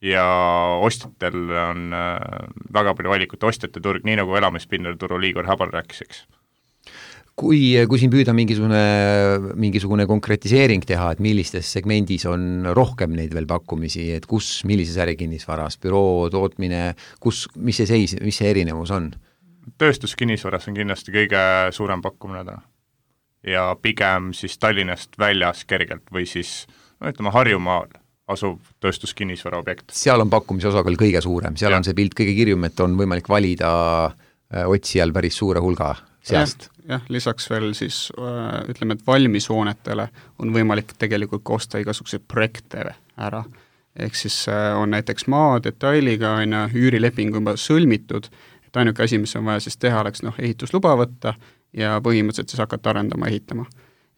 ja ostjatel on väga palju valikut, ostjate turg, nii nagu elamispinnal turul Igor Habal rääkis, eks. Kui siin püüda mingisugune konkretiseering teha, et millistes segmendis on rohkem neid veel pakkumisi, et millises ärikinnisvaras, büroo, tootmine, mis see erinevus on? Tööstuskinnisvaras on kindlasti kõige suurem pakkumine täna. Ja pigem siis Tallinnast väljas kergelt või siis, ütleme Harjumaal asuv tööstuskinnisvara objekt. Seal on pakkumise osakaal kõige suurem, seal on see pilt kõige kirjum, et on võimalik valida otsijal päris suure hulga seast. Jah, lisaks veel siis ütleme, et valmishoonetele on võimalik tegelikult osta igasuguseid projekte ära. Ehk siis on näiteks maadetailiga üürileping juba sõlmitud, et ainuke asi, mis on vaja siis teha, oleks ehitusluba võtta ja põhimõtteliselt siis hakata arendama ja ehitama.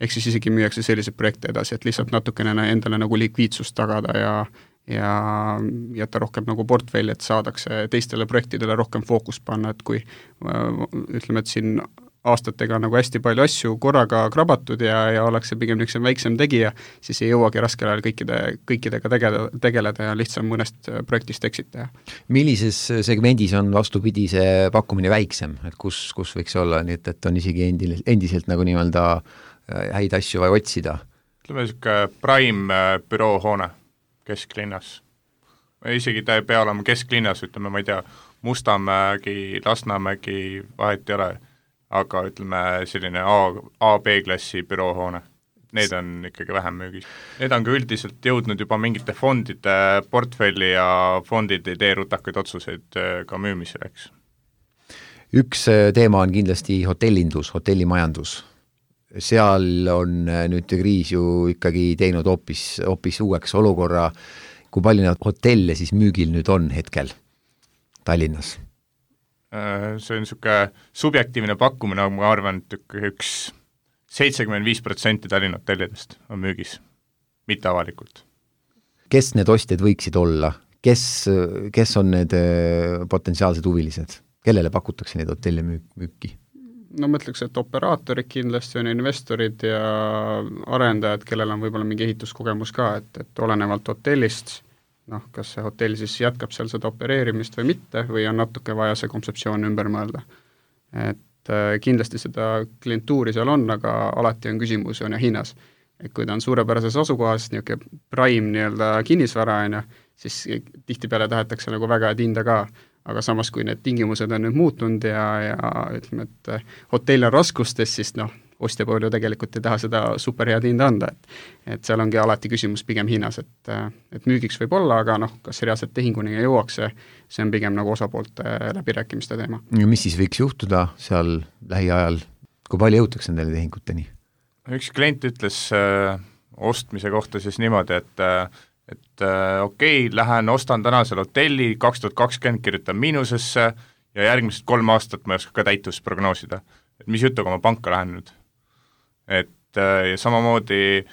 Ehk siis isegi müüakse selliseid projekte edasi, et lihtsalt natukene endale nagu likviidsust tagada ja jätta rohkem nagu portfelli, et saadakse teistele projektidele rohkem fookust panna, et kui ütleme, et siin aastatega nagu hästi palju asju korraga krabatud ja ollakse pigem üks väiksem tegija, siis ei jõuagi raskel ajal kõikidega tegeleda ja lihtsam mõnest projektist exit teha. Millises segmendis on vastupidi see pakkumine väiksem, et kus võiks olla, nii et on isegi endiselt nagu nii-öelda häid asju vaja otsida? Ütleme niisugune prime büroohoone kesklinnas. Isegi ta ei pea olema kesklinnas, ütleme, ma ei tea, Mustamägi, Lasnamägi, vahet ei ole, aga ütleme selline A-B-klassi büroohoone. Need on ikkagi vähem müügis. Need on ka üldiselt jõudnud juba mingite fondide portfelli ja fondid ei tee rutakaid otsuseid ka müümisel, eks. Üks teema on kindlasti hotellindus, hotellimajandus. Seal on nüüd kriis ju ikkagi teinud hoopis uueks olukorra, kui palju neid hotelle siis müügil nüüd on hetkel Tallinnas? See on niisugune subjektiivne pakkumine, ma arvan, et üks 75% Tallinna hotellidest on müügis, mitte avalikult. Kes need ostjad võiksid olla? Kes on need potentsiaalsed huvilised? Kellele pakutakse neid hotelle müüki? No ma ütleks, et operaatorid kindlasti on investorid ja arendajad, kellel on võib-olla mingi ehituskogemus ka, et olenevalt hotellist, kas see hotell siis jätkab seal seda opereerimist või mitte, või on natuke vaja see kontseptsioon ümber mõelda. Et kindlasti seda klientuuri seal on, aga alati on küsimus ja hinnas. Et kui ta on suurepärases asukohas, niisugune prime nii-öelda kinnisvara, siis tihtipeale tahetakse nagu väga hinda ka, aga samas, kui need tingimused on nüüd muutunud ja ütleme, et hotell on raskustes, siis ostja pool ju tegelikult ei taha seda superhead hinda anda, et seal ongi alati küsimus pigem hinnas, et müügiks võib olla, aga kas reaalselt tehinguni jõuaks, see on pigem nagu osapoolte läbirääkimiste teema. Ja mis siis võiks juhtuda seal lähiajal, kui palju jõutakse nendele tehinguteni? Üks klient ütles ostmise kohta siis niimoodi, et okei, lähen ostan tänasel hotelli, 2020 kirjutan miinusesse ja järgmised 3 aastat ma ei oska ka täitust prognoosida. Et mis jutuga ma panka lähen nüüd? Et ja samamoodi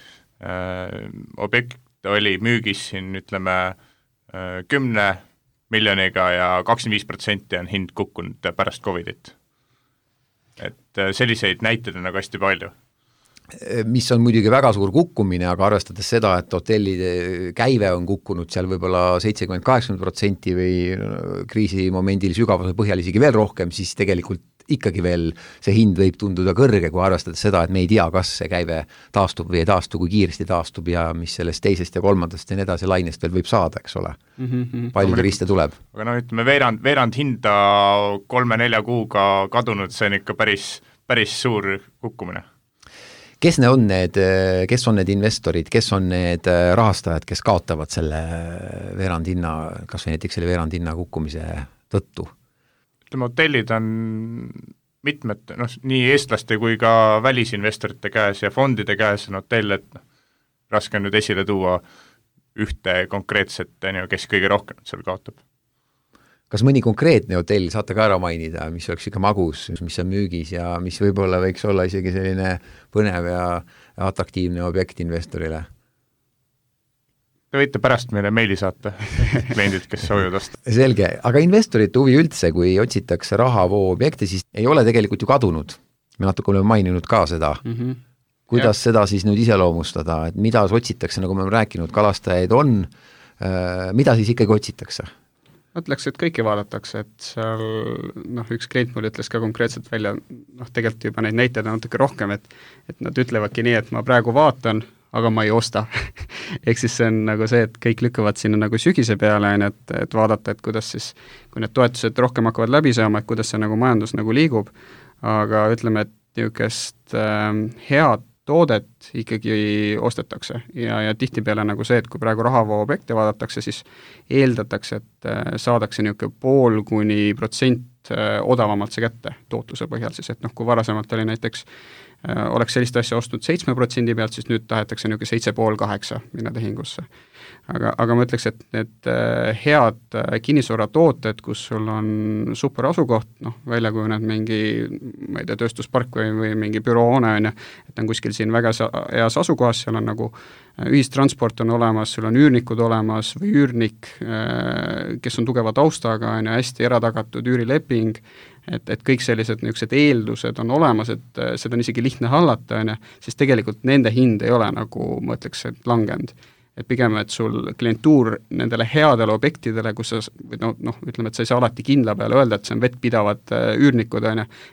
objekt oli müügis siin, ütleme, 10 miljoniga ja 25% on hind kukkunud pärast Covidit. Et selliseid näiteid on nagu hästi palju. Mis on muidugi väga suur kukkumine, aga arvestades seda, et hotellide käive on kukkunud seal võib-olla 70-80% või kriisimomendil sügavuse põhjal isegi veel rohkem, siis tegelikult ikkagi veel see hind võib tunduda kõrge, kui arvestades seda, et me ei tea, kas see käive taastub või ei taastu, kui kiiresti taastub ja mis sellest teisest ja kolmandast ja nii edasi lainest veel võib saada, eks ole. Palju turiste tuleb. Aga ütleme, veerand hinda 3-4 kuuga kadunud, see on ikka päris suur kukkumine. kes on need investorid, kes on need rahastajad, kes kaotavad selle veerandhinna, kas või näiteks selle veerandhinna kukkumise tõttu? Ütleme, hotellid on mitmed, nii eestlaste kui ka välisinvestorite käes ja fondide käes on hotell, et raske on nüüd esile tuua ühte konkreetset, kes kõige rohkem seal kaotab. Kas mõni konkreetne hotell saate ka ära mainida, mis oleks ikka magus, mis on müügis ja mis võib-olla võiks olla isegi selline põnev ja atraktiivne objekt investorile? Te võite pärast meile meili saata, kliendid, kes soovivad osta. Selge, aga investorite huvi üldse, kui otsitakse rahavoo objekte, siis ei ole tegelikult ju kadunud. Me natuke oleme maininud ka seda. Kuidas seda siis nüüd iseloomustada, et mida otsitakse, nagu me oleme rääkinud, kalastajaid on, mida siis ikkagi otsitakse? Mõtleks, et kõiki vaadatakse, et seal üks klient mul ütles ka konkreetselt välja, tegelikult juba neid näiteid on natuke rohkem, et nad ütlevadki nii, et ma praegu vaatan, aga ma ei osta. Ehk siis see on nagu see, et kõik lükkavad sinna nagu sügise peale, et vaadata, et kuidas siis, kui need toetused rohkem hakkavad läbi saama, et kuidas see nagu majandus nagu liigub, aga ütleme, et niisugust head toodet ikkagi ostetakse ja tihtipeale nagu see, et kui praegu rahavoo objekte vaadatakse, siis eeldatakse, et saadakse niisugune 0,5% odavamalt see kätte tootluse põhjal siis, et kui varasemalt oli näiteks oleks sellist asja ostnud 7% pealt, siis nüüd tahetakse niisugune 7,5-8 minna tehingusse. Aga ma ütleks, et need head kinnisvaratooted, kus sul on super asukoht, välja kujuned mingi, ma ei tea, tööstuspark või mingi büroohoone, et on kuskil siin väga heas asukohas, seal on nagu ühistransport on olemas, sul on üürnikud olemas või üürnik, kes on tugeva taustaga, hästi eratagatud üürileping, et kõik sellised niisugused eeldused on olemas, et seda on isegi lihtne hallata, siis tegelikult nende hind ei ole nagu, ma ütleks, et langenud. Et pigem, et sul klientuur nendele headele objektidele, kus sa, ütleme, et sa ei saa alati kindla peale öelda, et see on vettpidavad üürnikud,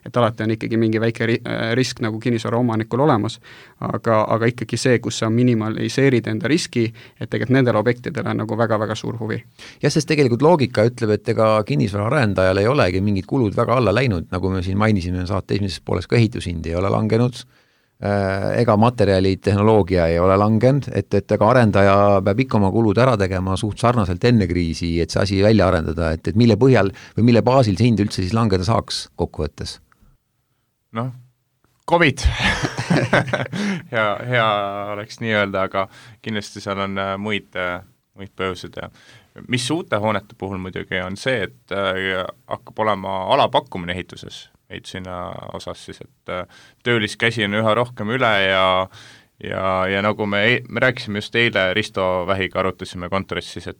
et alati on ikkagi mingi väike risk nagu kinnisvara omanikul olemas, aga ikkagi see, kus sa minimaliseerid enda riski, et tegelikult nendele objektidele on nagu väga-väga suur huvi. Ja sest tegelikult loogika ütleb, et ega kinnisvara arendajal ei olegi mingid kulud väga alla läinud, nagu me siin mainisime saate esimeses pooles, ka ehitushind ei ole langenud, ega materjalid, tehnoloogia ei ole langenud, et ega arendaja peab ikka oma kulud ära tegema suht sarnaselt enne kriisi, et see asi välja arendada, et mille põhjal või mille baasil see hind üldse siis langeda saaks kokkuvõttes? COVID hea oleks nii öelda, aga kindlasti seal on muid põhjused ja mis uute hoonete puhul muidugi on see, et hakkab olema alapakkumine ehituses ehitushinna osas siis, et tööliskäsi on üha rohkem üle ja nagu me rääkisime just eile Risto Vähiga arutasime kontoris siis, et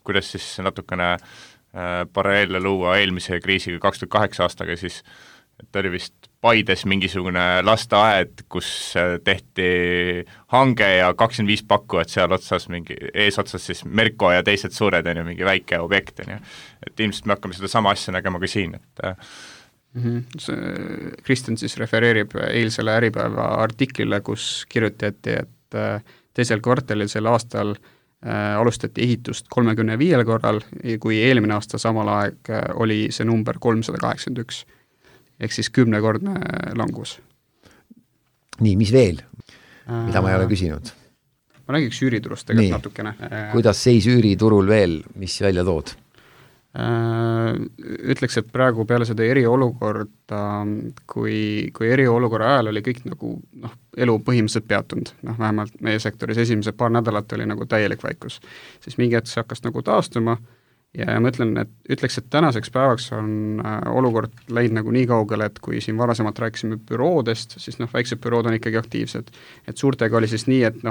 kuidas siis natukene paralleelle luua eelmise kriisiga 2008 aastaga, siis et oli vist Paides mingisugune lasteaed, kus tehti hange ja 25 pakkujat seal otsas, eesotsas siis Merko ja teised suured, mingi väike objekt, et ilmselt me hakkame seda sama asja nägema ka siin, et Kristjan siis refereerib eilsele Äripäeva artiklile, kus kirjutati, et teisel kvartalil sel aastal alustati ehitust 35 korral, kui eelmine aasta samal aeg oli see number 381. Ehk siis 10-kordne langus. Nii, mis veel? Mida ma ei ole küsinud? Ma räägiks üüriturust tegelikult natukene. Kuidas seis üüriturul veel, mis välja tood? Ütleks, et praegu peale seda eriolukorda, kui eriolukorra ajal oli kõik nagu elu põhimõtteliselt peatunud, vähemalt meie sektoris esimesed paar nädalat oli nagu täielik vaikus, siis mingi hetk see hakkas nagu taastuma ja ma ütleks, et tänaseks päevaks on olukord läinud nagu nii kaugele, et kui siin varasemalt rääkisime büroodest, siis väiksed bürood on ikkagi aktiivsed, et suurtega oli siis nii, et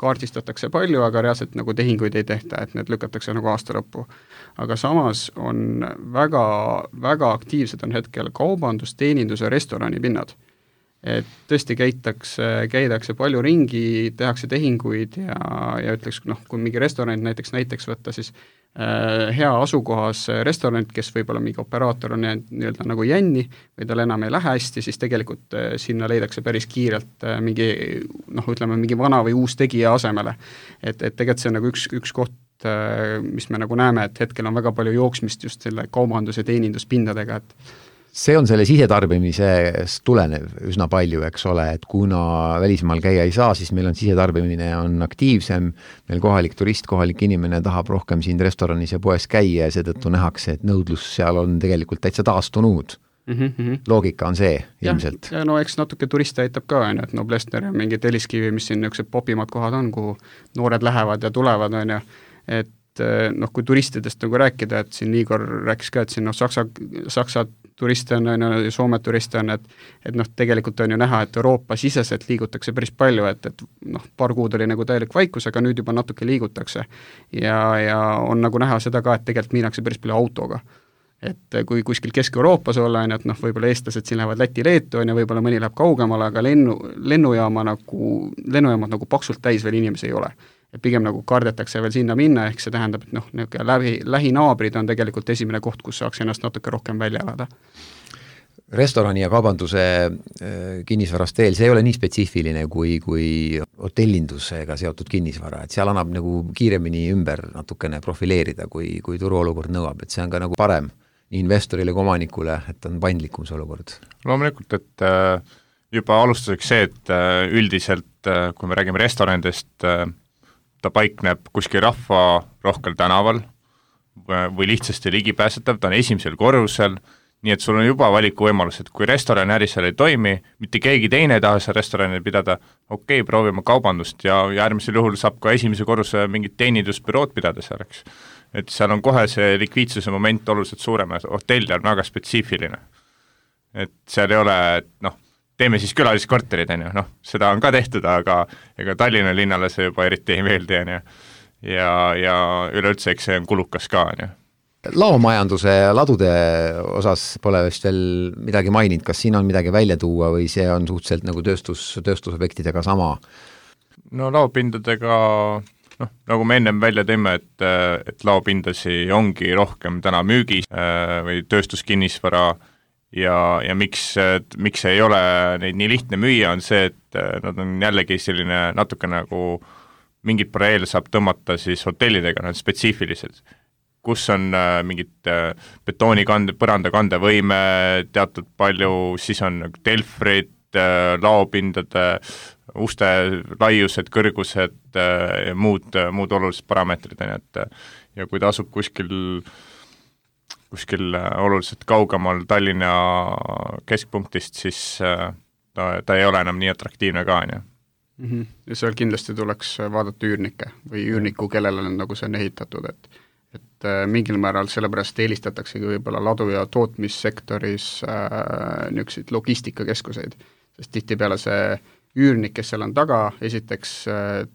kaardistatakse palju, aga reaalselt nagu tehinguid ei tehta, et need lükatakse nagu aasta lõppu. Aga samas on väga, väga aktiivsed on hetkel kaubandus, teenindus ja restorani pinnad. Et tõesti käidakse palju ringi, tehakse tehinguid ja ütleks, kui mingi restoran näiteks võtta, siis hea asukohas restoranid, kes võib-olla mingi operaator on nii-öelda nagu jänni või tal enam ei lähe hästi, siis tegelikult sinna leidakse päris kiirelt mingi vana või uus tegija asemele. Et tegelikult see on nagu üks koht, mis me nagu näeme, et hetkel on väga palju jooksmist just selle kaubandus- ja teeninduspindadega, et see on selle sisetarbimisest tulenev üsna palju, eks ole, et kuna välismaal käia ei saa, siis meil on sisetarbimine on aktiivsem, meil kohalik turist, kohalik inimene tahab rohkem siin restoranis ja poes käia ja seetõttu nähakse, et nõudlus seal on tegelikult täitsa taastunud. Loogika on see ilmselt. Ja no eks natuke turiste aitab ka, et Noblessner ja mingi Telliskivi, mis siin niisugused popimad kohad on, kuhu noored lähevad ja tulevad, et noh, kui turistidest nagu rääkida, et siin Igor rääkis ka, et siin Saksa turiste on ja Soome turiste on, et noh, tegelikult on ju näha, et Euroopa siseselt liigutakse päris palju, et noh, paar kuud oli nagu täielik vaikus, aga nüüd juba natuke liigutakse. Ja on nagu näha seda ka, et tegelikult minnakse päris palju autoga. Et kui kuskil Kesk-Euroopas olla, et noh, võib-olla eestlased siin lähevad Läti-Leetu ja võib-olla mõni läheb kaugemale, aga lennujaamad nagu paksult täis veel inimesi ei ole. Et pigem nagu kardetakse veel sinna minna, ehk see tähendab, et noh, lähinaabrid on tegelikult esimene koht, kus saaks ennast natuke rohkem välja elada. Restorani ja kaubanduse kinnisvarast veel, see ei ole nii spetsiifiline kui hotellindusega seotud kinnisvara, et seal annab nagu kiiremini ümber natukene profileerida, kui turuolukord nõuab, et see on ka nagu parem nii investorile kui omanikule, et on paindlikum see olukord. Loomulikult, et juba alustuseks see, et üldiselt, kui me räägime restoranidest, ta paikneb kuskil rahva rohkel tänaval või lihtsasti ligipääsetav, ta on esimesel korrusel, nii et sul on juba valikuvõimalus, et kui restorani äri seal ei toimi, mitte keegi teine ei taha seal restorani pidada, okei, proovime kaubandust ja äärmisel juhul saab ka esimese korruse mingit teenindusbürood pidada selleks. Et seal on kohe see likviidsuse moment oluliselt suurem, hotell on väga spetsiifiline. Et seal ei ole, et noh, teeme siis külaliskorterid, seda on ka tehtud, aga ega Tallinna linnale see juba eriti ei meeldi, ja üleüldse, eks see on kulukas ka, Laomajanduse ladude osas pole vist veel midagi maininud, kas siin on midagi välja tuua või see on suhteliselt nagu tööstusobjektidega sama? No laopindadega, nagu me ennem välja teeme, et laopindasi ongi rohkem täna müügis või tööstuskinnisvara ja miks ei ole neid nii lihtne müüa, on see, et nad on jällegi selline natuke nagu mingid paralleele saab tõmmata siis hotellidega, nad spetsiifilised, kus on mingid betoonikande, põrandakandevõime teatud palju, siis on telfrid, laopindade, uste laiused, kõrgused ja muud olulised parameetrid, ja kui ta asub kuskil oluliselt kaugemal Tallinna keskpunktist, siis ta ei ole enam nii atraktiivne ka, Ja seal kindlasti tuleks vaadata üürnikke või üürniku, kellele on nagu see on ehitatud, et mingil määral sellepärast eelistataksegi võib-olla ladu- ja tootmissektoris niisuguseid logistikakeskuseid, sest tihtipeale see üürnik, kes seal on taga, esiteks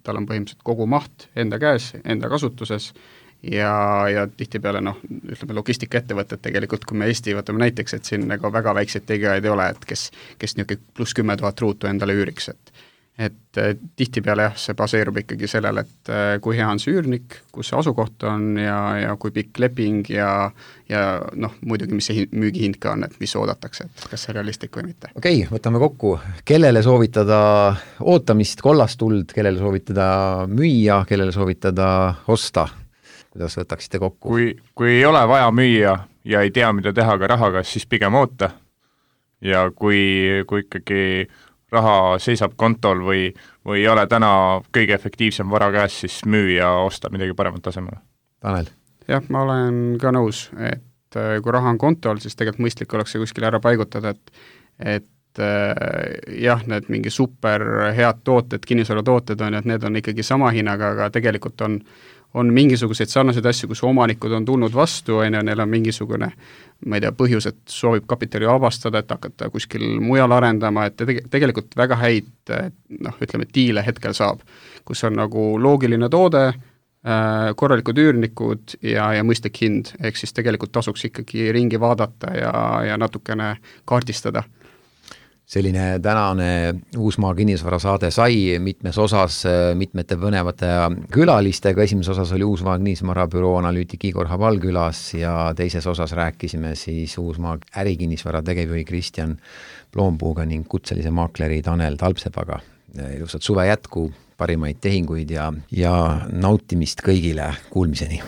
tal on põhimõtteliselt kogu maht enda käes, enda kasutuses, ja tihtipeale ütleme logistikaettevõtted tegelikult, kui me Eesti võtame näiteks, et siin nagu väga väikseid tegijaid ei ole, et kes niisugune plus 10 000 ruutu endale üüriks, et tihtipeale jah, see baseerub ikkagi sellele, et kui hea on see üürnik, kus see asukoht on ja kui pikk leping ja muidugi, mis see müügihind ka on, et mis oodatakse, et kas see realistlik või mitte. Okei, võtame kokku. Kellele soovitada ootamist, kollast tuld, kellele soovitada müüa, kellele soovitada osta? Kuidas võtaksite kokku? Kui ei ole vaja müüa ja ei tea, mida teha ka rahaga, siis pigem oota. Ja kui ikkagi raha seisab kontol või ei ole täna kõige efektiivsem vara käes, siis müü ja osta midagi paremat tasemele. Tanel? Jah, ma olen ka nõus, et kui raha on kontol, siis tegelikult mõistlik oleks see kuskil ära paigutada, et jah, need mingi super head tooted, kinnisvaratooted on, et need on ikkagi sama hinnaga, aga tegelikult on mingisuguseid sarnaseid asju, kus omanikud on tulnud vastu, neil on mingisugune, ma ei tea, põhjus, et soovib kapitali vabastada, et hakata kuskil mujal arendama, et tegelikult väga häid, ütleme, diile hetkel saab, kus on nagu loogiline toode, korralikud üürnikud ja mõistlik hind, ehk siis tegelikult tasuks ikkagi ringi vaadata ja natukene kaardistada. Selline tänane Uusmaa kinnisvara saade sai mitmes osas mitmete põnevate külalistega. Esimeses osas oli Uusmaa kinnisvara büroo analüütik Igor Habal külas ja teises osas rääkisime siis Uusmaa ärikinnisvara tegevjuhi Kristjan Ploompuuga ning kutselise maakleri Tanel Talpsepaga. Ilusat suve jätku, parimaid tehinguid ja nautimist kõigile, kuulmiseni!